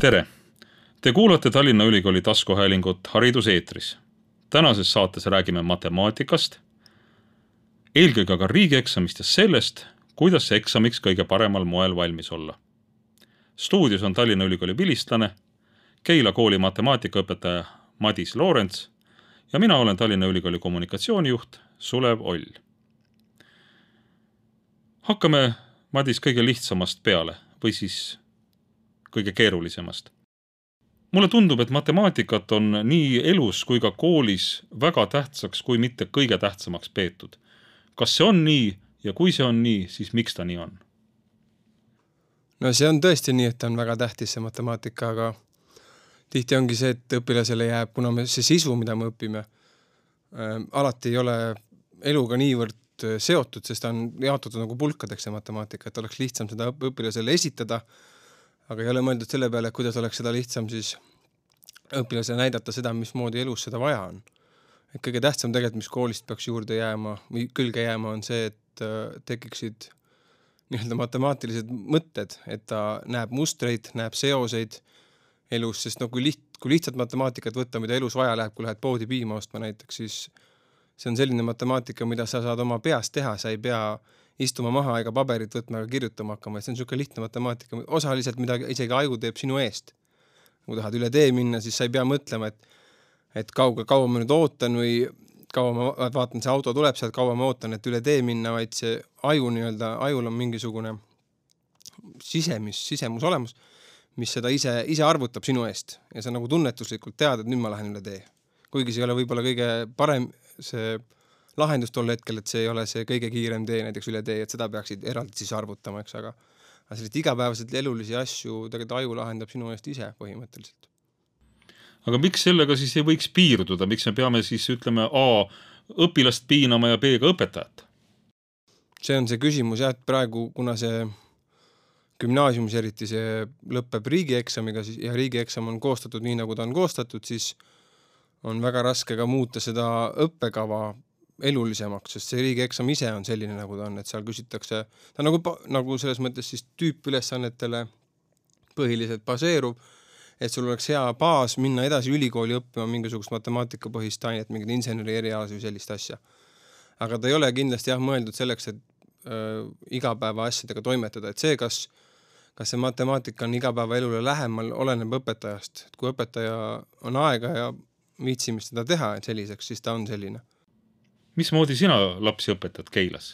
Tere! Te kuulate Tallinna Ülikooli taskuhäälingut Hariduseetris. Tänases saates räägime matemaatikast, eelkõige aga riigieksamist ja sellest, kuidas see eksamiks kõige paremal moel valmis olla. Stuudios on Tallinna Ülikooli vilistlane, Keila kooli matemaatikaõpetaja Madis Loorents ja mina olen Tallinna Ülikooli kommunikatsioonijuht Sulev Oll. Hakkame, Madis, kõige lihtsamast peale või siis kõige keerulisemast. Mulle tundub, et matemaatikat on nii elus kui ka koolis väga tähtsaks, kui mitte kõige tähtsamaks peetud. Kas see on nii ja kui see on nii, siis miks ta nii on? No see on tõesti nii, et ta on väga tähtis see matemaatika, aga tihti ongi see, et õpilasele jääb, kuna see sisu, mida me õpime, alati ei ole eluga niivõrd seotud, sest ta on jaotatud nagu pulkadeks see matemaatika, et oleks lihtsam seda õpilasele esitada, aga ei ole mõeldud selle peale, kuidas oleks seda lihtsam siis õpilasele näidata seda, mismoodi elus seda vaja on. Et kõige tähtsam tegelikult, mis koolist peaks juurde jääma või külge jääma, on see, et tekiksid nii-öelda matemaatilised mõtted, et ta näeb mustreid, näeb seoseid elus, sest kui lihtsalt matemaatikat võtta, mida elus vaja läheb, kui lähed poodi piima ostma näiteks, siis see on selline matemaatika, mida sa saad oma peas teha, sa ei pea istuma maha ega paberit võtma ega kirjutama hakkama, et see on niisugune lihtne matemaatika, osaliselt, mida isegi aju teeb sinu eest. Kui tahad üle tee minna, siis sa ei pea mõtlema, et kaua ma nüüd ootan või kaua ma vaatan, see auto tuleb sealt, kaua ma ootan, et üle tee minna, vaid see ajul on mingisugune sisemus olemus, mis seda ise arvutab sinu eest. Ja sa nagu tunnetuslikult tead, et nüüd ma lähen üle tee. Kuigi see ei ole võib-olla kõige parem see lahendus tol hetkel, et see ei ole see kõige kiirem tee näiteks üle tee, et seda peaksid eraldi siis arvutama, eks, aga sellist igapäevaselt elulisi asju tegelikult aju lahendab sinu eest ise põhimõtteliselt. Aga miks sellega siis ei võiks piirduda? Miks me peame siis, ütleme, A, õpilast piinama ja B, ka õpetajat? See on see küsimus, et praegu, kuna see gümnaasiumis eriti see lõpeb riigieksamiga ja riigieksam on koostatud nii, nagu ta on koostatud, siis on väga raske ka muuta seda õppekava elulisemaks, sest see riigieksam ise on selline, nagu ta on, et seal küsitakse, ta nagu selles mõttes siis tüüpülesannetele põhiliselt baseerub, et sul oleks hea baas minna edasi ülikooli õppima mingisugust matemaatikapõhist ainet, mingid inseneri erialas või sellist asja. Aga ta ei ole kindlasti mõeldud selleks, et igapäeva asjadega toimetada, et see, kas see matemaatika on igapäeva elule lähemal, oleneb õpetajast. Et kui õpetaja on aega ja viitsimist seda teha selliseks, siis ta on selline. Mismoodi sina lapsi õpetad Keilas?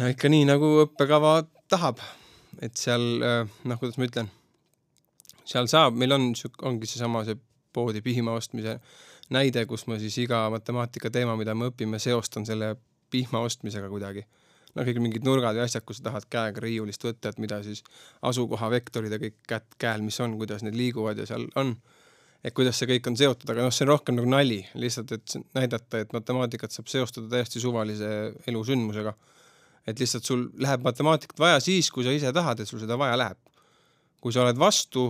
Ikka nii, nagu õppekava tahab. Et seal, kuidas ma ütlen, seal saab, meil ongi seesama see poodi pihma ostmise näide, kus ma siis iga matemaatika teema, mida me õpime, seostan selle pihma ostmisega kuidagi. Kõik mingid nurgad ja asjad, kus tahad käega riiulist võtta, et mida siis asukoha vektorid ja kõik käel, mis on, kuidas need liiguvad ja seal on. Et kuidas see kõik on seotud, aga see on rohkem nagu nali, lihtsalt, et näidata, et matemaatikat saab seostada täiesti suvalise elusündmusega. Et lihtsalt sul läheb matemaatikat vaja siis, kui sa ise tahad, et sul seda vaja läheb. Kui sa oled vastu,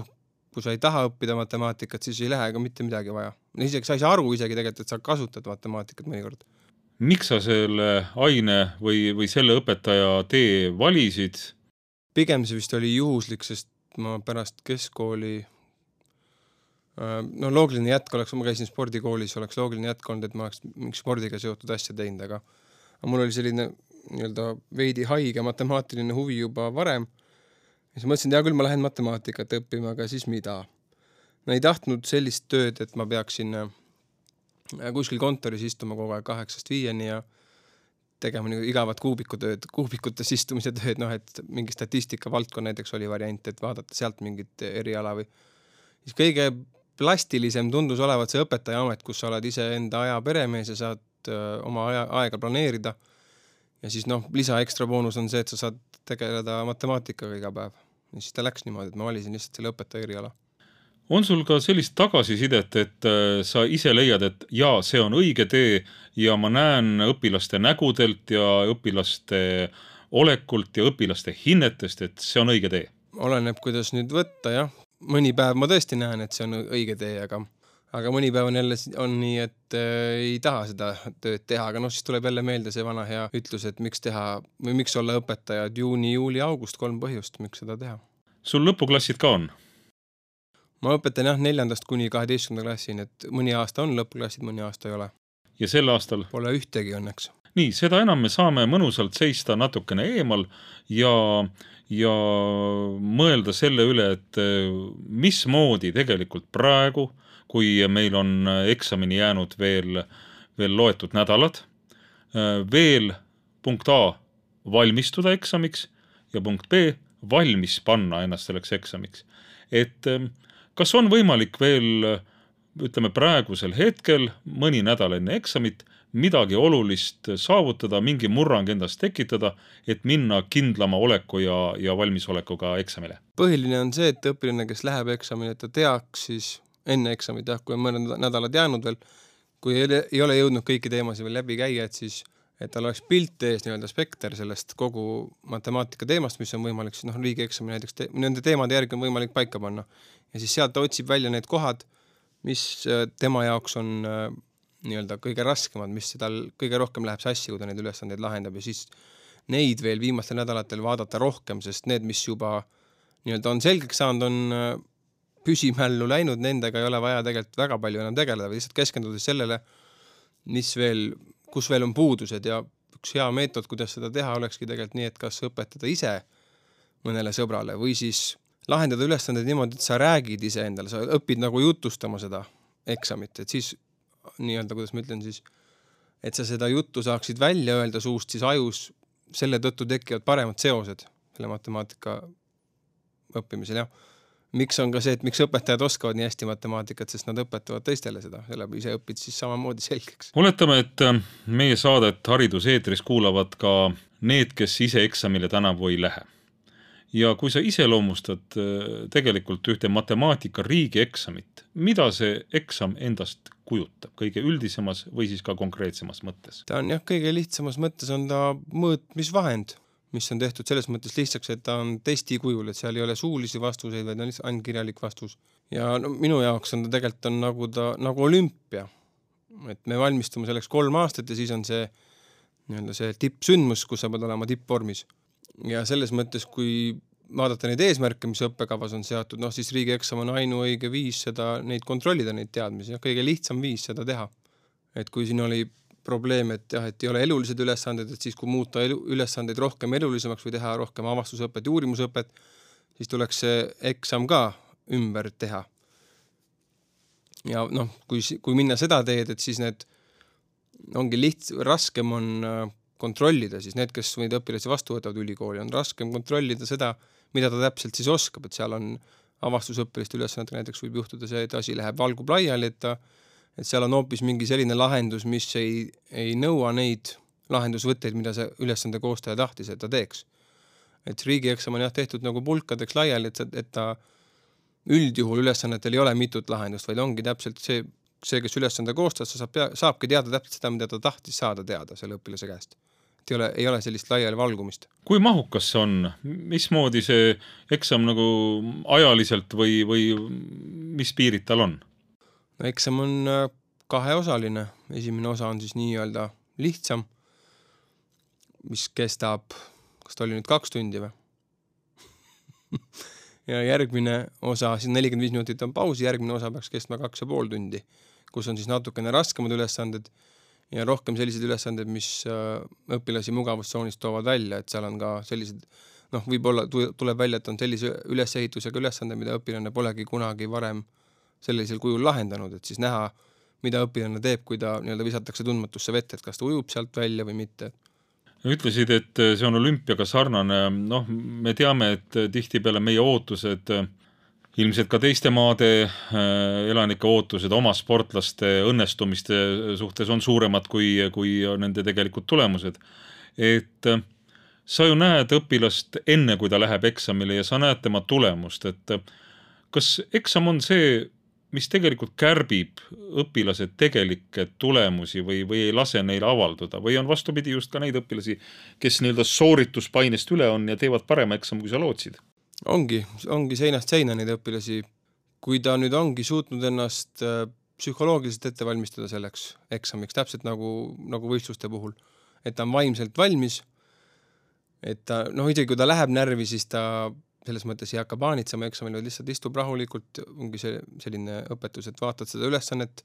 kui sa ei taha õppida matemaatikat, siis ei lähe ka mitte midagi vaja. Isegi sa ei saa aru isegi tegelikult, et sa kasutad matemaatikat mõnikord. Miks sa selle aine või selle õpetaja tee valisid? Pigem see vist oli juhuslik, sest ma pärast keskkooli loogiline jätk oleks, ma käisin spordikoolis, oleks loogiline jätk olnud, et ma oleks mingi spordiga seotud asja teinud, aga mul oli selline veidi haige matemaatiline huvi juba varem. Ja siis mõtlesin, küll ma lähen matemaatikat õppima, aga siis mida? No ei tahtnud sellist tööd, et ma peaksin kuskil kontoris istuma kogu aeg 8-5 ja tegema igavat kuubikutes istumise tööd, et mingi statistika valdkond näiteks oli variant, et vaadata sealt mingit eriala või siis kõige plastilisem tundus olevat see õpetaja amet, kus sa oled ise enda aja peremees ja saad oma aega planeerida. Ja siis lisa ekstra boonus on see, et sa saad tegeleda matemaatikaga iga päev. Ja siis ta läks niimoodi, et ma valisin lihtsalt selle õpetaja eriala. On sul ka sellist tagasisidet, et sa ise leiad, et jaa, see on õige tee ja ma näen õpilaste nägudelt ja õpilaste olekult ja õpilaste hinnetest, et see on õige tee? Oleneb, kuidas nüüd võtta, jah. Mõni päev ma tõesti näen, et see on õige tee, aga mõni päev on jälle on nii, et ei taha seda tööd teha, aga siis tuleb jälle meelde see vana hea ütlus, et miks teha või miks olla õpetaja, et juuni, juuli, august 3 põhjust, miks seda teha. sul lõpuklassid ka on? Ma õpetan jah 4. kuni 12. klassini, et mõni aasta on lõpuklassid, mõni aasta ei ole. Ja sel aastal? Pole ühtegi õnneks. Nii, seda enam me saame mõnusalt seista natukene eemal ja mõelda selle üle, et mismoodi tegelikult praegu, kui meil on eksamini jäänud veel loetud nädalad, veel punkt A valmistuda eksamiks ja punkt B valmis panna ennast selleks eksamiks. Et kas on võimalik veel, ütleme praegusel hetkel, mõni nädal enne eksamit, midagi olulist saavutada, mingi murrang endast tekitada, et minna kindlama oleku ja valmisolekuga eksamile? Põhiline on see, et õpilane, kes läheb eksamile, et ta teaks siis enne eksamit, kui on mõned nädalad jäänud veel, kui ei ole jõudnud kõiki teemasid veel läbi käia, et siis et tal oleks pilt ees nii-öelda spekter sellest kogu matemaatika teemast, mis on võimalik siis riigieksami näiteks nende teemade järgi on võimalik paika panna. Ja siis sealt ta otsib välja need kohad, mis tema jaoks on nii-öelda kõige raskemad, mis tal kõige rohkem läheb sassi, kui ta neid ülesandeid lahendab ja siis neid veel viimastel nädalatel vaadata rohkem, sest need, mis juba nii-öelda on selgeks saanud, on püsimällu läinud, nendega ei ole vaja tegelikult väga palju enam tegeleda, või lihtsalt keskendudes sellele, kus veel on puudused ja üks hea meetod, kuidas seda teha, olekski tegelikult nii, et kas õpetada ise mõnele sõbrale või siis lahendada ülesanded niimoodi, et sa räägid ise endale, sa õpid nagu jutustama seda eksamit, et siis nii-öelda, kuidas ma ütlen siis, et sa seda juttu saaksid välja öelda suust, siis ajus selle tõttu tekivad paremad seosed selle matemaatika õppimisel, jah. Miks on ka see, et miks õpetajad oskavad nii hästi matemaatikat, sest nad õpetavad teistele seda, selle ise õpid siis samamoodi selgeks. Oletame, et meie saadet hariduseetris kuulavad ka need, kes ise eksamile tänavu ei lähe. Ja kui sa iseloomustad tegelikult ühte matemaatika riigieksamit, mida see eksam endast kujutab kõige üldisemas või siis ka konkreetsemas mõttes? Ta on jah, kõige lihtsamas mõttes on ta mõõtmisvahend, mis on tehtud selles mõttes lihtsaks, et ta on testi kujul, et seal ei ole suulisi vastuseid, vaid on lihtsalt ainult kirjalik vastus. Ja minu jaoks on ta tegelikult on nagu olümpia. Et me valmistume selleks 3 aastat ja siis on see tippsündmus, kus sa pead olema tippvormis. Ja selles mõttes, kui vaadata neid eesmärke, mis õppekavas on seatud, siis riigieksam on ainuõige viis neid kontrollida, neid teadmisi. Ja kõige lihtsam viis seda teha. Et kui siin oli probleem, et ei ole elulised ülesanded, et siis kui muuta ülesandeid rohkem elulisemaks või teha rohkem avastusõpet ja uurimusõpet, siis tuleks see eksam ka ümber teha. Ja kui minna seda teed, et siis need ongi raskem on kontrollida, siis need, kes neid õpilasi vastu võtavad ülikooli, on raskem kontrollida seda, mida ta täpselt siis oskab, et seal on avastusõppiliste ülesanded, näiteks võib juhtuda see, et asi läheb valgub laiali, et seal on hoopis mingi selline lahendus, mis ei nõua neid lahendusvõtteid, mida see ülesande koostaja tahtis, et ta teeks. Et riigieksam on tehtud nagu pulkadeks laiali, et ta üldjuhul ülesannetel ei ole mitut lahendust, vaid ongi täpselt see, kes ülesande koostas, saabki teada täpselt seda, mida ta tahtis saada teada selle õpilase käest. Et ei ole sellist laiali valgumist. Kui mahukas see on? Mismoodi see eksam nagu ajaliselt või mis piirid tal on? No eksam on 2-osaline. Esimene osa on siis nii-öelda lihtsam, mis kestab, kas ta oli nüüd 2 tundi või? Ja järgmine osa, siis 45 minutit on pausi, järgmine osa peaks kestma 2,5 tundi, kus on siis natukene raskemad ülesanded ja rohkem sellised ülesanded, mis õpilasi mugavustsoonist toovad välja, et seal on ka sellised, võib-olla tuleb välja, et on sellise ülesehitusega ülesande, mida õpilane polegi kunagi varem sellisel kujul lahendanud, et siis näha, mida õpilane teeb, kui ta visatakse tundmatusse vette, et kas ta ujub sealt välja või mitte. Ütlesid, et see on olümpiaga sarnane. Me teame, et tihtipeale meie ootused, ilmselt ka teiste maade elanike ootused oma sportlaste õnnestumiste suhtes on suuremad kui nende tegelikult tulemused. Et sa ju näed õpilast enne, kui ta läheb eksamile ja sa näed tema tulemust, et kas eksam on see, mis tegelikult kärbib õpilase tegelikke tulemusi või ei lase neil avalduda või on vastupidi just ka neid õpilasi, kes soorituspainest üle on ja teevad parema eksam, kui sa lootsid? Ongi seinast seina neid õpilasi. Kui ta nüüd ongi suutnud ennast psühholoogiliselt ette valmistada selleks eksamiks, täpselt nagu võistluste puhul, et ta on vaimselt valmis, et ta, isegi kui ta läheb närvi, siis ta selles mõttes ei hakka paanitsema eksamil, vaid lihtsalt istub rahulikult, ongi selline õpetus, et vaatad seda ülesannet,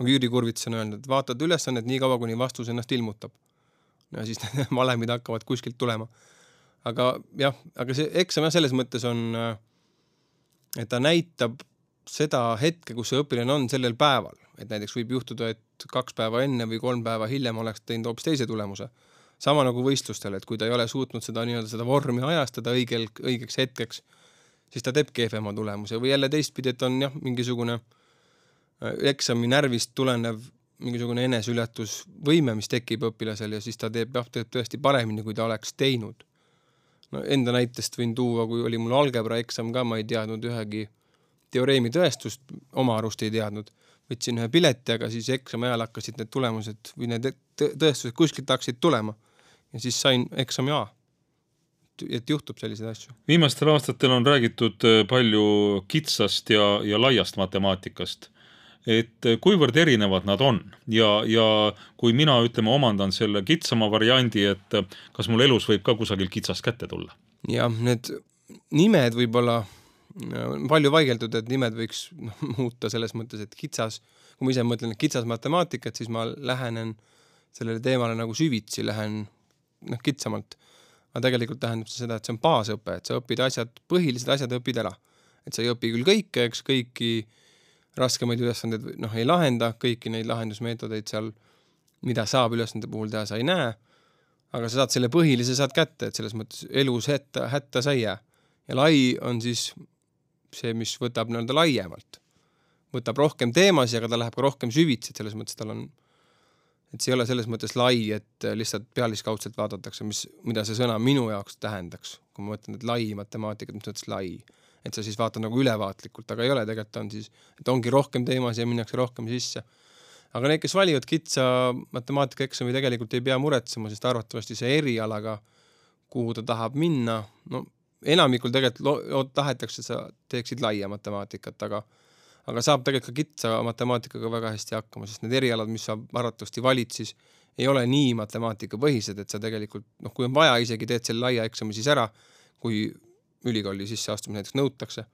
nagu Jüri Kurvits on öelnud, et vaatad ülesannet nii kaua, kuni vastus ennast ilmutab. Ja siis need valemid hakkavad kuskilt tulema. Aga see eksam selles mõttes on, et ta näitab seda hetke, kus see õpilane on sellel päeval. Et näiteks võib juhtuda, et 2 päeva enne või 3 päeva hiljem oleks teinud hoopis teise tulemuse. Sama nagu võistlustel, et kui ta ei ole suutnud seda vormi ajastada õigeks hetkeks, siis ta teeb kehvema tulemuse. Või jälle teistpidi, et on mingisugune eksami närvist tulenev mingisugune eneseületusvõime, mis tekib õpilasel ja siis ta teeb tõesti paremini, kui ta oleks teinud. No, enda näitest võin tuua, kui oli mul algebra eksam ka, ma ei teadnud ühegi teoreemi tõestust, oma arust ei teadnud. Võtsin ühe pileti, aga siis eksami ajal hakkasid need tulemused või need tõestused kuskilt hakkasid tulema. Ja siis sain eksami A. Et juhtub selliseid asju. Viimastel aastatel on räägitud palju kitsast ja laiast matemaatikast. Et kuivõrd erinevad nad on ja kui mina omandan selle kitsama variandi, et kas mul elus võib ka kusagil kitsast kätte tulla? Ja need nimed võib-olla palju vaigeldud, et nimed võiks muuta selles mõttes, et kitsas, kui ma ise mõtlen kitsas matemaatikat, siis ma lähenen sellele teemale nagu süvitsi, lähen kitsamalt. Aga tegelikult tähendab seda, et see on baasõpe, et sa õpid põhilised asjad õpid ära. Et sa ei õpi küll kõike, eks kõiki raskemaid ülesanded ei lahenda, kõiki neid lahendusmeetodeid seal, mida saab ülesande puhul teha, sa ei näe, aga sa saad selle põhilise saad kätte, et selles mõttes elus hätta sa ei jää. Ja lai on siis see, mis võtab laiemalt. Võtab rohkem teemasi, aga ta läheb ka rohkem süvitsi, et selles mõttes tal on, et see ei ole selles mõttes lai, et lihtsalt pealiskaudselt vaadatakse, mida see sõna minu jaoks tähendaks, kui ma mõtlen, et lai matemaatikat, mis mõttes lai. Et sa siis vaatad nagu ülevaatlikult, aga ei ole, tegelikult on siis, et ongi rohkem teemas ja minnakse rohkem sisse. Aga need, kes valivad kitsa matemaatika eksami, tegelikult ei pea muretsema, sest arvatavasti see erialaga, kuhu ta tahab minna, enamikul tegelikult tahetakse, et sa teeksid laia matemaatikat, aga saab tegelikult ka kitsa matemaatikaga väga hästi hakkama, sest need erialad, mis sa arvatavasti valid, siis ei ole nii matemaatika põhised, et sa tegelikult, kui on vaja, isegi teed selle laia eksami siis ära, kui ülikooli sisse astuma näiteks nõutakse.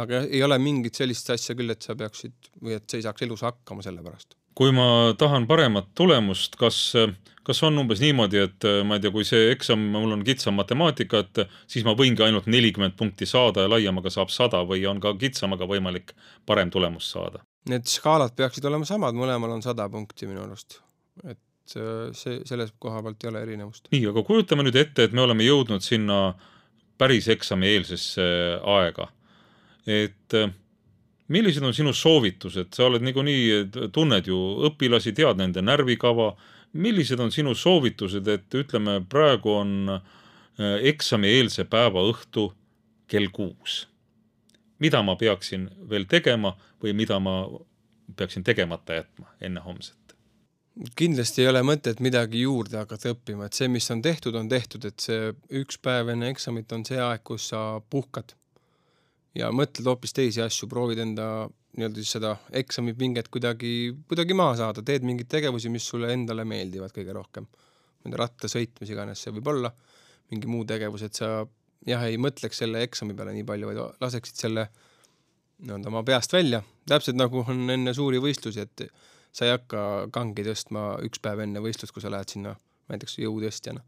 Aga ei ole mingit sellist asja küll, et sa peaksid või et sa ei saaks elus hakkama selle pärast. Kui ma tahan paremat tulemust, kas on umbes niimoodi, et ma ei tea, kui see eksam, mul on kitsam matemaatika, et siis ma võingi ainult 40 punkti saada ja laiemaga saab 100 või on ka kitsamaga võimalik parem tulemus saada? Need skaalad peaksid olema samad, mõlemal on 100 punkti minu arust. Et selles koha pealt ei ole erinevust. Nii, aga kujutame nüüd ette, et me oleme jõudnud sinna päris eksami eelsesse aega. Et millised on sinu soovitused? Sa oled niikuinii tunned ju õpilasi, tead nende närvikava. Millised on sinu soovitused, et ütleme, praegu on eksami eelse päeva õhtu kell 6. Mida ma peaksin veel tegema või mida ma peaksin tegemata jätma enne homset? Kindlasti ei ole mõtet midagi juurde hakata õppima, et see, mis on tehtud, et see üks päev enne eksamit on see aeg, kus sa puhkad ja mõtled hoopis teisi asju, proovid enda seda eksamipinget kuidagi maha saada, teed mingid tegevusi, mis sulle endale meeldivad kõige rohkem. Ratta sõitmis iganes see võib olla, mingi muu tegevus, et sa ei mõtleks selle eksami peale nii palju, vaid laseksid selle oma peast välja. Täpselt nagu on enne suuri võistlusi, et sa ei hakka kangi tõstma üks päev enne võistlust, kui sa lähed sinna näiteks jõutõstjana.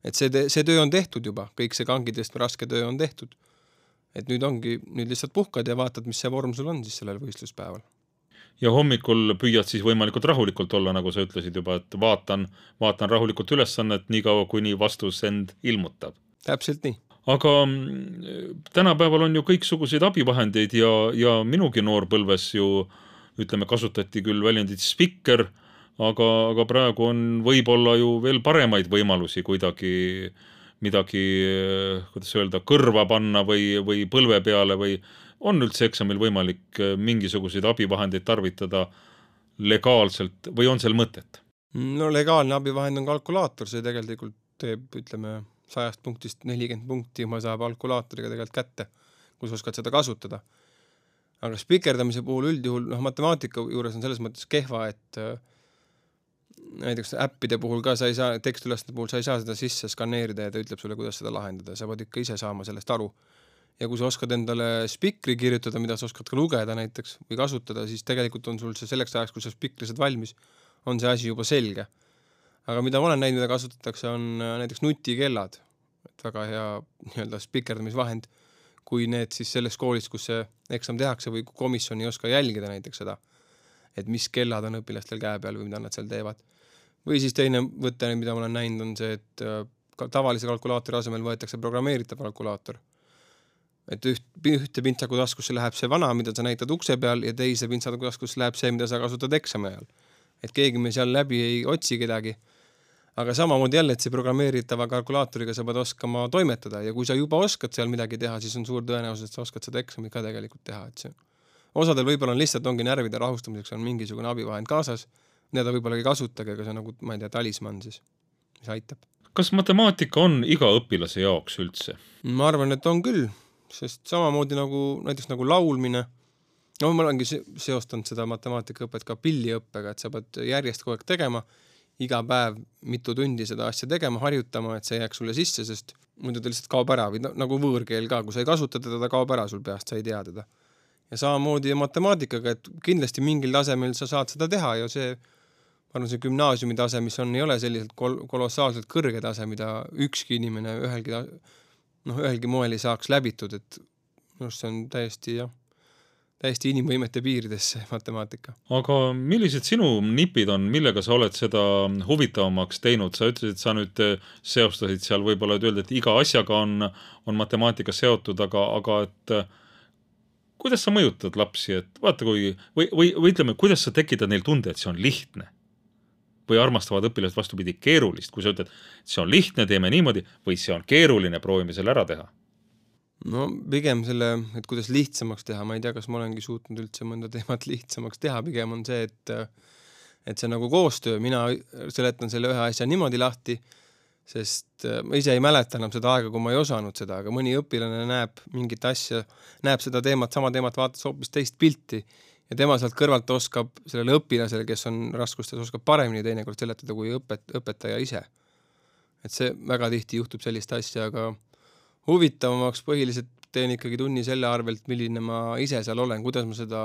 Et see töö on tehtud juba, kõik see kangi tõstma raske töö on tehtud. Et nüüd lihtsalt puhkad ja vaatad, mis see vorm sul on siis sellel võistluspäeval. Ja hommikul püüad siis võimalikult rahulikult olla, nagu sa ütlesid juba, et vaatan rahulikult ülesannet nii kaua, kuni vastus end ilmutab. Täpselt nii. Aga tänapäeval on ju kõiksuguseid abivahendeid ja minugi noorpõlves ju kasutati küll väljendit spikker, aga praegu on võib-olla ju veel paremaid võimalusi kuidagi midagi, kuidas öelda, kõrva panna või põlve peale või on üldse eksamil võimalik mingisuguseid abivahendeid tarvitada legaalselt või on seal mõtet? No legaalne abivahend on kalkulaator, see tegelikult teeb, 100 punktist 40 punkti ma saab kalkulaatoriga tegelikult kätte, kus oskad seda kasutada. Aga spikerdamise puhul üldjuhul, matemaatika juures on selles mõttes kehva, et näiteks äppide puhul ka sa ei saa, tekstülesande puhul sa ei saa seda sisse skaneerida ja ta ütleb sulle, kuidas seda lahendada. Sa pead ikka ise saama sellest aru. ja kui sa oskad endale spikri kirjutada, mida sa oskad ka lugeda näiteks või kasutada, siis tegelikult on sul see selleks ajaks, kui sa spikri saad valmis, on see asi juba selge. Aga mida ma olen näinud, mida kasutatakse, on näiteks nutikellad, et väga hea nii-öelda spikerdamisvahend, kui need siis selles koolis, kus see eksam tehakse või komisjon ei oska jälgida näiteks seda, et mis kellad on õpilastel käe peal või mida nad seal teevad. Või siis teine võte, mida ma olen näinud, on see, et tavalise kalkulaatori asemel võetakse programmeeritav kalkulaator. Et ühte pintsaku taskusse läheb see vana, mida sa näitad ukse peal ja teise pintsaku taskusse läheb see, mida sa kasutad eksami ajal. Et keegi me seal läbi ei otsi kedagi. Aga samamoodi jälle, et see programmeeritava kalkulaatoriga sa pead oskama toimetada ja kui sa juba oskad seal midagi teha, siis on suur tõenäosus, et sa oskad seda eksamit ka tegelikult teha. Et see. Osadel võib-olla on lihtsalt ongi närvide rahustamiseks on mingisugune abivahend kaasas, mida ta võib-olla ei kasutage, aga see on nagu, ma ei tea, talisman siis, mis aitab. Kas matemaatika on iga õpilase jaoks üldse? Ma arvan, et on küll, sest samamoodi nagu näiteks nagu laulmine. No ma olengi seostanud seda matemaatikaõpet ka pilliõppega, et sa pead järjest kogu aeg tegema, iga päev mitu tundi seda asja tegema, harjutama, et see jääks sulle sisse, sest muidu ta lihtsalt kaob ära või nagu võõrkeel ka, kui sa ei kasuta teda, ta kaob ära sul peast, sa ei tea teda. Ja samamoodi matemaatikaga, et kindlasti mingil tasemel sa saad seda teha ja see, ma arvan, see gümnaasiumi tase, mis on, ei ole selliselt kolossaalselt kõrge tase, mida ükski inimene ühelgi moel ei saaks läbitud, et see on täiesti inimvõimete piiridesse matemaatika. Aga millised sinu nipid on, millega sa oled seda huvitavamaks teinud? Sa ütlesid, et sa nüüd seostasid seal võib-olla, et öelda, et iga asjaga on matemaatika seotud, aga et kuidas sa mõjutad lapsi, et vaata või ütleme, kuidas sa tekitad neil tunde, et see on lihtne? Või armastavad õpilased vastupidi keerulist, kui sa ütled, et see on lihtne, teeme niimoodi, või see on keeruline, proovime selle ära teha? No pigem selle, et kuidas lihtsamaks teha, ma ei tea, kas ma olengi suutnud üldse mõnda teemat lihtsamaks teha, pigem on see, et see nagu koostöö, mina seletan selle ühe asja niimoodi lahti, sest ma ise ei mäleta enam seda aega, kui ma ei osanud seda, aga mõni õpilane näeb mingit asja, näeb seda teemat, sama teemat vaatas hoopis teist pilti ja tema sealt kõrvalt oskab sellele õpilasele, kes on raskustes, oskab paremini teinekord seletada kui õpetaja ise. Et see väga tihti juhtub sellist asja, aga huvitavamaks põhiliselt teen ikkagi tunni selle arvelt, milline ma ise seal olen, kuidas ma seda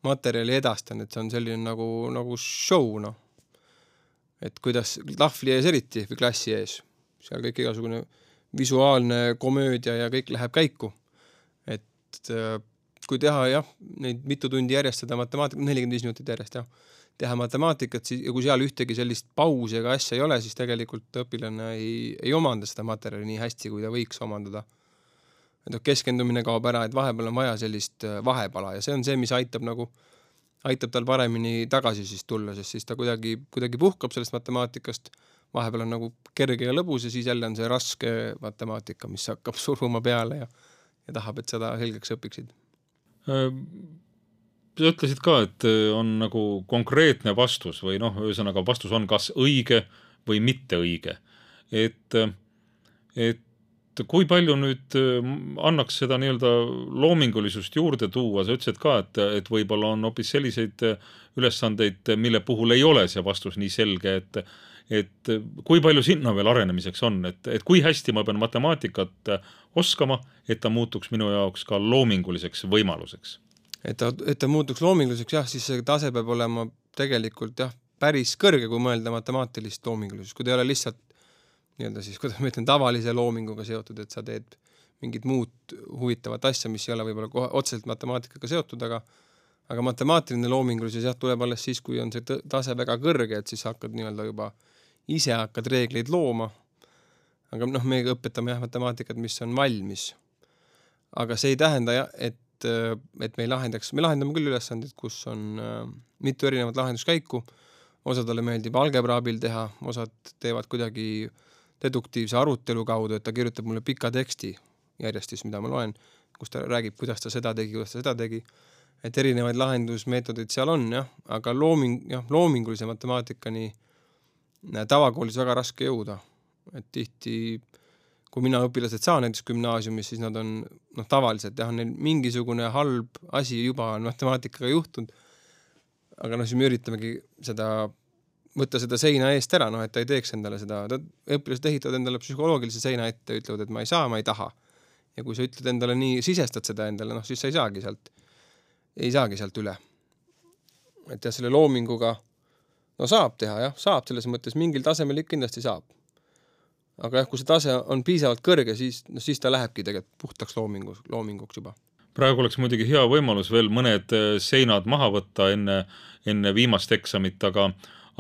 materjali edastan, et see on selline nagu show, no. Et kuidas lahvli ees eriti või klassi ees, seal kõik igasugune visuaalne komöödia ja kõik läheb käiku. Et kui teha neid mitu tundi järjest seda matemaatikat, 45 minutit järjest teha matemaatikat ja kui seal ühtegi sellist pausi ega asja ei ole, siis tegelikult õpilane ei omanda seda materjali nii hästi, kui ta võiks omandada. Et keskendumine kaob ära, et vahepeal on vaja sellist vahepala ja see on see, mis aitab tal paremini tagasi siis tulla, sest siis ta kuidagi puhkab sellest matemaatikast, vahepeal on nagu kerge ja lõbus ja siis jälle on see raske matemaatika, mis hakkab suruma peale ja tahab, et seda selgeks õpiksid. Sa ütlesid ka, et on nagu konkreetne vastus või ühesõnaga vastus on kas õige või mitte õige. Et kui palju nüüd annaks seda nii-öelda loomingulisust juurde tuua, sa ütlesid ka, et võib-olla on hoopis selliseid ülesandeid, mille puhul ei ole see vastus nii selge, et kui palju sinna veel arenemiseks on, et kui hästi ma pean matemaatikat oskama, et ta muutuks minu jaoks ka loominguliseks võimaluseks. Et ta muutuks loominguliseks, siis see tase peab olema tegelikult päris kõrge, kui mõelda matemaatilist loomingulisust, kui ta ei ole lihtsalt nii-öelda siis, kuidas ma ütlen, tavalise loominguga seotud, et sa teed mingit muud huvitavat asja, mis ei ole võib-olla otseselt matemaatikaga seotud, aga matemaatiline loomingulisus tuleb alles siis, kui on see tase väga kõrge, et siis hakkad nii-öelda juba ise hakkad reegleid looma. Aga me õpetame matemaatikat, mis on valmis. Aga see ei tähenda, et me lahendame küll ülesandid, kus on mitu erinevat lahenduskäiku. Osadele meeldib algebra abil teha, osad teevad kuidagi deduktiivse arutelu kaudu, et ta kirjutab mulle pika teksti järjestis, mida ma loen, kus ta räägib, kuidas ta seda tegi. Et erinevaid lahendusmeetodid seal on, aga loomingulise matemaatikani tavakoolis väga raske jõuda. Et tihti, kui mina õpilased saan näiteks gümnaasiumis, siis nad on tavaliselt, neil mingisugune halb asi juba on matemaatikaga juhtunud, aga siis me üritamegi võtta seda seina eest ära, et ta ei teeks endale seda, õpilased ehitavad endale psühholoogilise seina ette, ütlevad, et ma ei saa, ma ei taha. Ja kui sa ütled endale nii, sisestad seda endale, siis sa ei saagi sealt üle. Et ja selle loominguga, saab teha, jah, saab selles mõttes, mingil tasemel kindlasti saab. Aga jah, kui see tase on piisavalt kõrge, siis ta lähebki tegelikult puhtaks loominguks juba. Praegu oleks muidugi hea võimalus veel mõned seinad maha võtta enne viimast eksamit, aga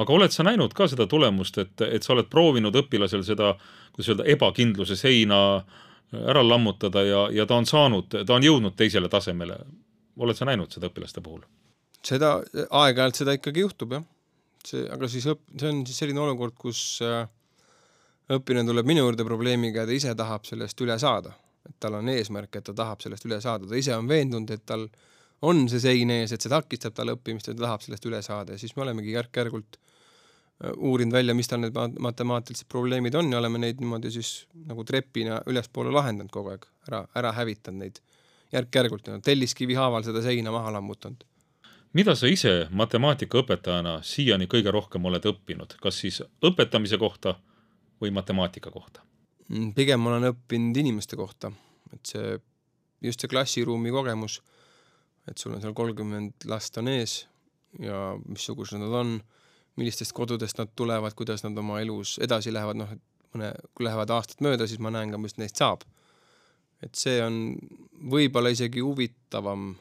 oled sa näinud ka seda tulemust, et sa oled proovinud õpilasel seda, kuidas öelda, ebakindluse seina ära lammutada ja ta on jõudnud teisele tasemele. Oled sa näinud seda õpilaste puhul? Seda aeg-ajalt seda ikkagi juhtub, jah. Aga siis see on siis selline olukord, kus õppiline tuleb minu juurde probleemiga ja ta ise tahab sellest üle saada. Et tal on eesmärk, et ta tahab sellest üle saada. Ta ise on veendunud, et tal on see sein ees, et see takistab tal õppimist ja ta tahab sellest üle saada. Ja siis me olemegi järk-järgult uurinud välja, mis tal need matemaatilised probleemid on ja oleme neid niimoodi siis nagu trepina ülespoole lahendanud kogu aeg, ära hävitanud neid järk-järgult. Telliskivi haaval seda seina maha lammutanud. Mida sa ise matemaatikaõpetajana siiani kõige rohkem oled õppinud? Kas siis õpetamise kohta või matemaatika kohta? Pigem ma olen õppinud inimeste kohta. Et just see klassiruumi kogemus, et sul on seal 30 last on ees ja missugused nad on, millistest kodudest nad tulevad, kuidas nad oma elus edasi lähevad, kui lähevad aastad mööda, siis ma näen ka, mis neist saab. Et see on võib-olla isegi huvitavam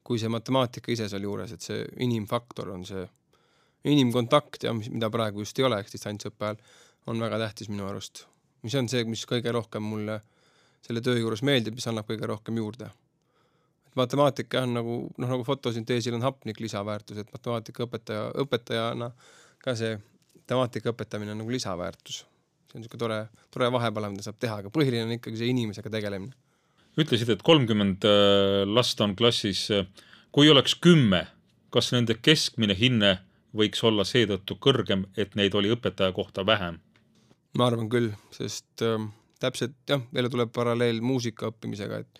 kui see matemaatika ise seal juures, et see inimfaktor on see inimkontakt ja mida praegu just ei ole, distantsõppe ajal, on väga tähtis minu arust. Mis on see, mis kõige rohkem mulle selle töö juures meeldib, mis annab kõige rohkem juurde. Et matemaatika on nagu fotosünteesil on hapnik lisaväärtus, et matemaatika õpetajana ka see matemaatika õpetamine on nagu lisaväärtus. See on niisugune tore vahepala, mida saab teha, aga põhiline on ikkagi see inimesega tegelemine. Ütlesid, et 30 last on klassis. Kui oleks 10, kas nende keskmine hinne võiks olla seetõttu kõrgem, et neid oli õpetaja kohta vähem? Ma arvan küll, sest täpselt, jälle tuleb paralleel muusika õppimisega, et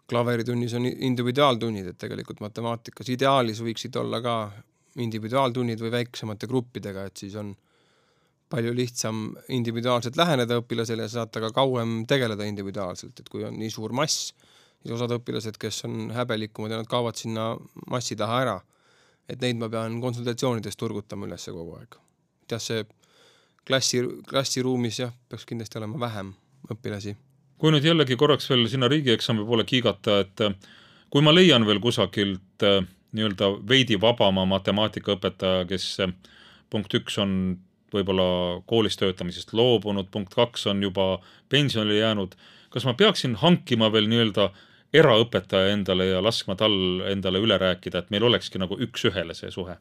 klaveritunnis on individuaaltunnid, et tegelikult matemaatikas ideaalis võiksid olla ka individuaaltunnid või väiksemate gruppidega, et siis on palju lihtsam individuaalselt läheneda õpilasele ja saata ka kauem tegeleda individuaalselt, et kui on nii suur mass, siis osad õpilased, kes on häbelikumad ja nad kaovad sinna massi taha ära, et neid ma pean konsultatsioonides turgutama üles kogu aeg. Et see klassiruumis peaks kindlasti olema vähem õpilasi. Kui nüüd jällegi korraks veel sinna riigieksami poole kiigata, et kui ma leian veel kusagilt nii-öelda veidi vabama matemaatikaõpetaja, kes punkt 1 on võib-olla koolis töötamisest loobunud, punkt 2 on juba pensionile jäänud, kas ma peaksin hankima veel nii-öelda eraõpetaja endale ja laskma tal endale üle rääkida, et meil olekski nagu üks-ühele see suhe?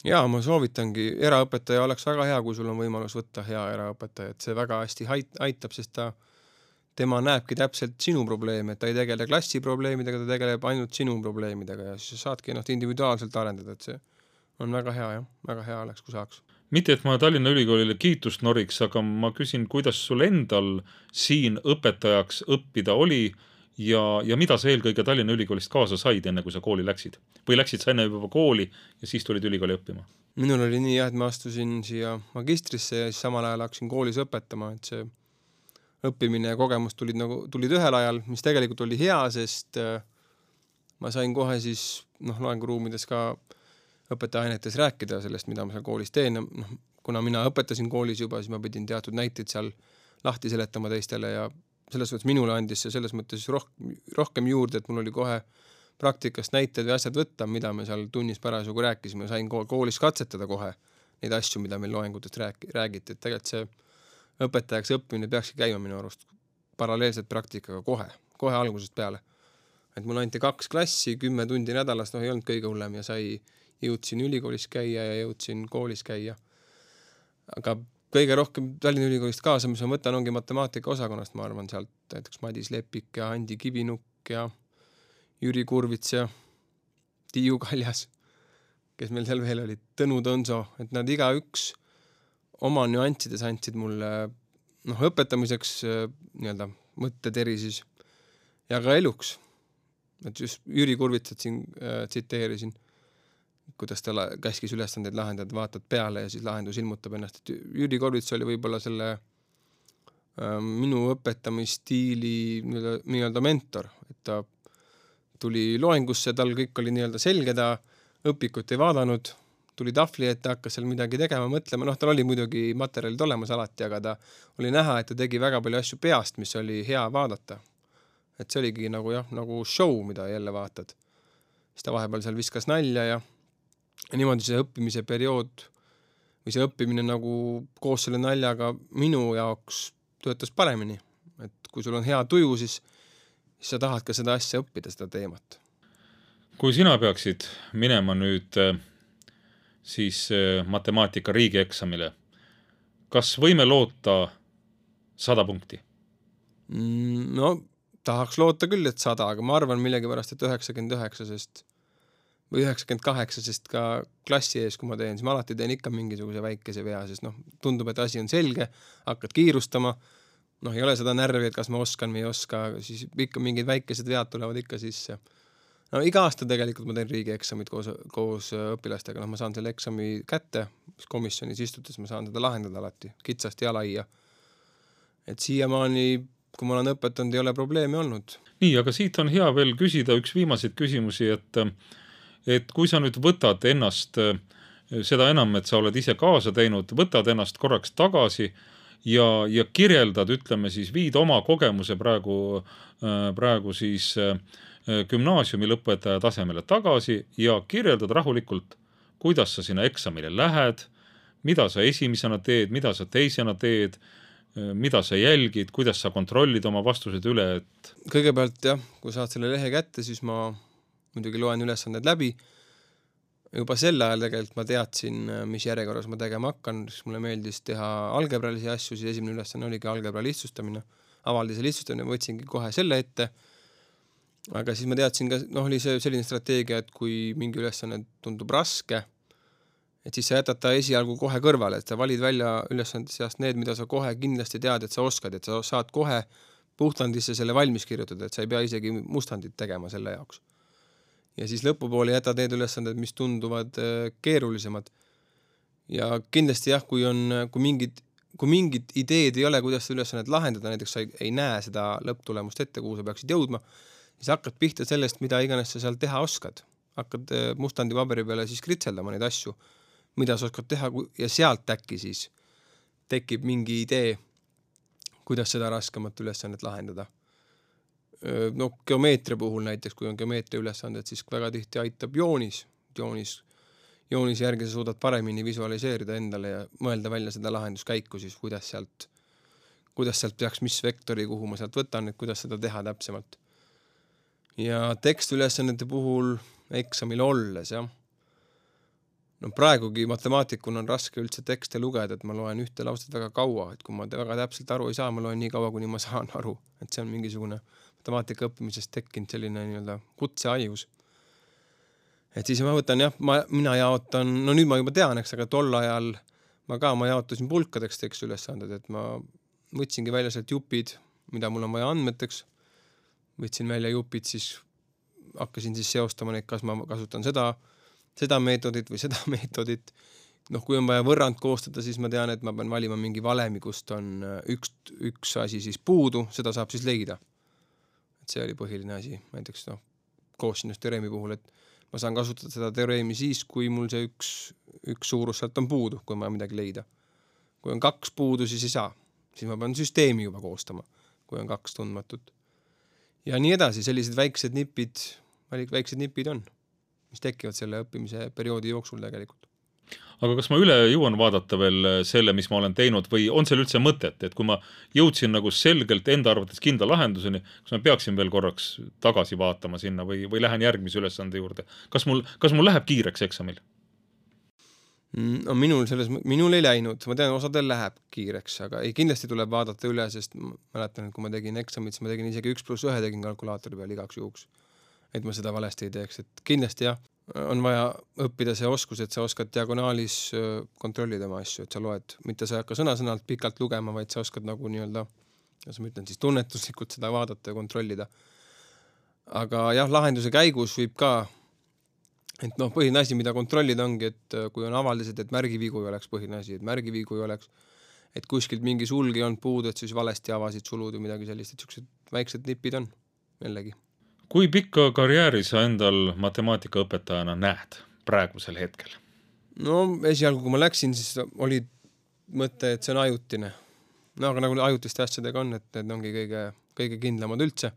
Jaa, ma soovitangi, eraõpetaja oleks väga hea, kui sul on võimalus võtta hea eraõpetaja, et see väga hästi aitab, sest tema näebki täpselt sinu probleeme, et ta ei tegele klassi probleemidega, ta tegeleb ainult sinu probleemidega ja siis saadki ennast individuaalselt arendada, et see on väga hea, väga hea oleks, kui saaks. Mitte, et ma Tallinna Ülikoolile kiitust noriks, aga ma küsin, kuidas sul endal siin õpetajaks õppida oli ja mida sa eelkõige Tallinna Ülikoolist kaasa said, enne kui sa kooli läksid? Või läksid sa enne juba kooli ja siis tulid ülikooli õppima? Minul oli nii, et ma astusin siia magistrisse ja siis samal ajal hakkasin koolis õpetama, et see õppimine ja kogemus tulid ühel ajal, mis tegelikult oli hea, sest ma sain kohe siis loenguruumides ka õpetajaainetes rääkida sellest, mida ma seal koolis teen. Kuna mina õpetasin koolis juba, siis ma pidin teatud näiteid seal lahti seletama teistele ja selles mõttes minule andis see selles mõttes rohkem juurde, et mul oli kohe praktikast näited või asjad võtta, mida me seal tunnis parasjagu rääkisime. Sain koolis katsetada kohe neid asju, mida meil loengutest räägiti. Et tegelikult see õpetajaks õppimine peakski käima minu arust paralleelselt praktikaga kohe algusest peale. Et mul anti 2 klassi, 10 tundi nädalas, ei olnud kõige hullem ja jõudsin ülikoolis käia ja jõudsin koolis käia. Aga kõige rohkem Tallinna Ülikoolist kaasa, mis ma võtan, ongi matemaatika osakonnast, ma arvan, sealt näiteks Madis Lepik ja Andi Kivinukk ja Jüri Kurvits ja Tiiu Kaljas, kes meil seal veel olid, Tõnu Tõnso, et nad igaüks oma nüanssides andsid mulle õpetamiseks nii-öelda mõtteteri siis ja ka eluks. Et just Jüri Kurvitsat siin tsiteerisin, kuidas ta käskis ülesandeid lahendada, vaatad peale ja siis lahendus ilmutab ennast. Et Jüri Kurvits oli võib-olla selle minu õpetamisstiili nii-öelda mentor, et ta tuli loengusse, tal kõik oli nii-öelda selge, ta õpikut ei vaadanud, tuli tahvli ette, hakkas seal midagi tegema, mõtlema, tal oli muidugi materjalid olemas alati, aga ta oli näha, et ta tegi väga palju asju peast, mis oli hea vaadata. Et see oligi nagu show, mida jälle vaatad. Siis ta vahepeal seal viskas nalja ja niimoodi see õppimise periood või see õppimine nagu koos selle naljaga minu jaoks töötas paremini. Et kui sul on hea tuju, siis sa tahad ka seda asja õppida, seda teemat. Kui sina peaksid minema nüüd siis matemaatika riigieksamile, kas võime loota 100 punkti? No, tahaks loota küll, et 100, aga ma arvan millegipärast, et 99, või 98, sest ka klassi ees, kui ma teen, siis ma alati teen ikka mingisuguse väikese vea, sest tundub, et asi on selge, hakkad kiirustama, ei ole seda närvi, et kas ma oskan või ei oska, siis ikka mingid väikesed vead tulevad ikka sisse. Iga aasta tegelikult ma teen riigieksamid koos õpilastega, ma saan selle eksami kätte, komisjonis istudes ma saan seda lahendada alati, kitsasti ja laia. Et siiamaani, kui ma olen õpetanud, ei ole probleemi olnud. Nii, aga siit on hea veel küsida üks viimaseid küsimusi, et kui sa nüüd võtad ennast, seda enam, et sa oled ise kaasa teinud, võtad ennast korraks tagasi ja kirjeldad, ütleme siis, viid oma kogemuse praegu siis gümnaasiumi lõpetaja tasemele tagasi ja kirjeldad rahulikult, kuidas sa sinna eksamile lähed, mida sa esimesena teed, mida sa teisena teed, mida sa jälgid, kuidas sa kontrollid oma vastused üle, et... Kõigepealt kui saad selle lehe kätte, siis ma muidugi loen ülesanded läbi. Juba sel ajal tegelikult ma teadsin, mis järjekorras ma tegema hakkan, siis mulle meeldis teha algebralisi asju, siis esimene ülesanne oligi algebra lihtsustamine, avaldise lihtsustamine, võtsingi kohe selle ette. Aga siis ma teadsin ka, oli see selline strateegia, et kui mingi ülesanne tundub raske, et siis sa jätad ta esialgu kohe kõrvale, et sa valid välja ülesande seast need, mida sa kohe kindlasti tead, et sa oskad, et sa saad kohe puhtandisse selle valmis kirjutada, et sa ei pea isegi mustandit tegema selle jaoks. Ja siis lõpupoole jätad need ülesanded, mis tunduvad keerulisemad. Ja kindlasti kui mingid ideed ei ole, kuidas seda ülesannet lahendada, näiteks sa ei näe seda lõpptulemust ette, kuhu sa peaksid jõudma, siis hakkad pihta sellest, mida iganes sa seal teha oskad. Hakkad mustandi paberi peale siis kritseldama neid asju, mida sa oskad teha ja sealt äkki siis tekib mingi idee, kuidas seda raskemat ülesannet lahendada. Geomeetria puhul näiteks, kui on geomeetria ülesanded, siis väga tihti aitab joonis. Joonis järgi sa suudad paremini visualiseerida endale ja mõelda välja seda lahenduskäiku, siis kuidas sealt peaks mis vektori, kuhu ma sealt võtan, et kuidas seda teha täpsemalt. Ja tekstülesannete puhul eksamil olles, praegugi matemaatikuna on raske üldse tekste lugeda, et ma loen ühte lauset väga kaua, et kui ma väga täpselt aru ei saa, ma loen nii kaua, kuni ma saan aru, et see on mingisugune matemaatika õppimisest tekkinud selline nii-öelda kutseaius. Et siis ma võtan, mina jaotan, nüüd ma juba tean, aga tol ajal ma jaotasin pulkadeks tekstülesanded, et ma võtsingi välja sealt jupid, mida mul on vaja andmeteks, võtsin välja jupid, siis hakkasin siis seostama neid, kas ma kasutan seda meetodit või seda meetodit. Kui on vaja võrrand koostada, siis ma tean, et ma pean valima mingi valemi, kust on üks asi siis puudu, seda saab siis leida. Et see oli põhiline asi, näiteks koossinus-teoreemi puhul, et ma saan kasutada seda teoreemi siis, kui mul see üks suurus sealt on puudu, kui ma midagi leida. Kui on 2 puudu, siis ei saa. Siis ma pean süsteemi juba koostama, kui on 2 tundmatut. Ja nii edasi, sellised väiksed nipid on, mis tekivad selle õppimise perioodi jooksul tegelikult. Aga kas ma üle jõuan vaadata veel selle, mis ma olen teinud või on seal üldse mõtet, et kui ma jõudsin nagu selgelt enda arvates kindla lahenduseni, kas ma peaksin veel korraks tagasi vaatama sinna või lähen järgmise ülesande juurde? Kas mul läheb kiireks eksamil? Minul ei läinud, ma tean, osadel läheb kiireks, aga kindlasti tuleb vaadata üle, sest ma mäletan, et kui ma tegin eksamit, siis ma tegin isegi 1+1 tegin kalkulaatori peal igaks juhuks, et ma seda valesti ei teeks, et kindlasti on vaja õppida see oskus, et sa oskad diagonaalis kontrollida oma asju, et sa loed, mitte sa ei hakka sõna-sõnalt pikalt lugema, vaid sa oskad nagu nii-öelda, kuidas ma ütlen, siis tunnetuslikult seda vaadata ja kontrollida. Aga lahenduse käigus võib ka, et põhiline asi, mida kontrollida ongi, et kui on avaldised, et märgivigu ei oleks põhiline asi, et märgivigu ei oleks, et kuskilt mingi sulg ei olnud puudu, et siis valesti avasid sulud või midagi sellist, et sellised väiksed nipid on jällegi. Kui pikka karjääri sa endal matemaatikaõpetajana näed praegusel hetkel? No esialgu, kui ma läksin, siis oli mõte, et see on ajutine. No aga nagu ajutiste asjadega on, et need ongi kõige kindlamad üldse.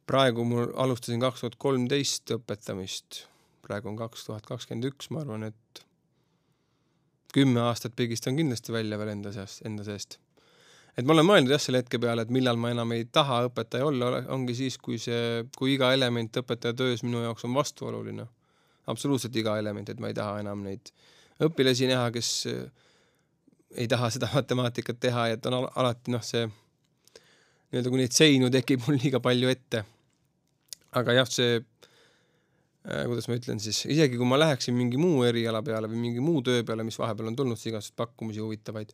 Praegu mul alustasin 2013 õpetamist. Praegu on 2021, ma arvan, et 10 aastat pigistan kindlasti välja veel enda seest. Et ma olen mõelnud jah selle hetke peale, et millal ma enam ei taha õpetaja olla, ongi siis, kui iga element õpetaja töös minu jaoks on vastuoluline. Absoluutselt iga element, et ma ei taha enam neid õpilasi näha, kes ei taha seda matemaatikat teha, et on alati see nii-öelda, kui neid seinu tekib mul liiga palju ette. Aga jah, see, kuidas ma ütlen siis, isegi kui ma läheksin mingi muu eriala peale või mingi muu töö peale, mis vahepeal on tulnud igasugused pakkumisi huvitavaid,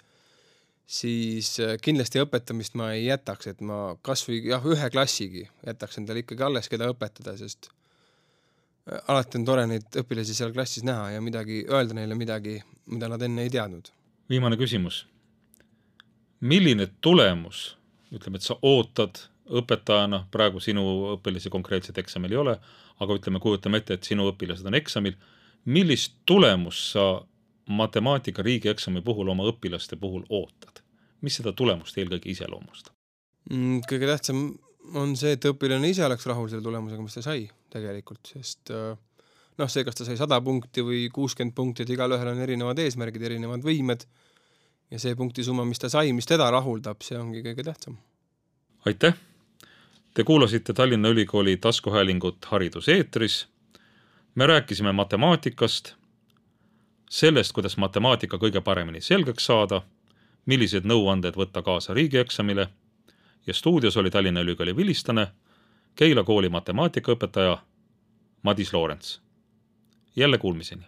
siis kindlasti õpetamist ma ei jätaks, et ma kas või ühe klassigi jätaks endale ikkagi alles, keda õpetada, sest alati on tore neid õpilasi seal klassis näha ja midagi öelda neile midagi, mida nad enne ei teadnud. Viimane küsimus. Milline tulemus, ütleme, et sa ootad õpetajana, praegu sinu õpilasi konkreetset eksamil ei ole, aga kujutame ette, et sinu õpilased on eksamil. Millist tulemus sa matemaatika riigieksami puhul oma õpilaste puhul ootad? Mis seda tulemust eelkõige iseloomustab? Kõige tähtsam on see, et õpilane ise oleks rahul selle tulemusega, mis ta sai tegelikult, sest see, kas ta sai 100 punkti või 60 punkti, et igal ühel on erinevad eesmärgid, erinevad võimed ja see punktisumma, mis ta sai, mis teda rahuldab, see ongi kõige tähtsam. Aitäh! Te kuulasite Tallinna Ülikooli taskuhäälingut Hariduseetris. Me rääkisime matemaatikast, sellest, kuidas matemaatika kõige paremini selgeks saada, millised nõuanded võtta kaasa riigieksamile ja stuudios oli Tallinna Ülikooli vilistlane, Keila kooli matemaatikaõpetaja Madis Loorents. Jälle kuulmiseni!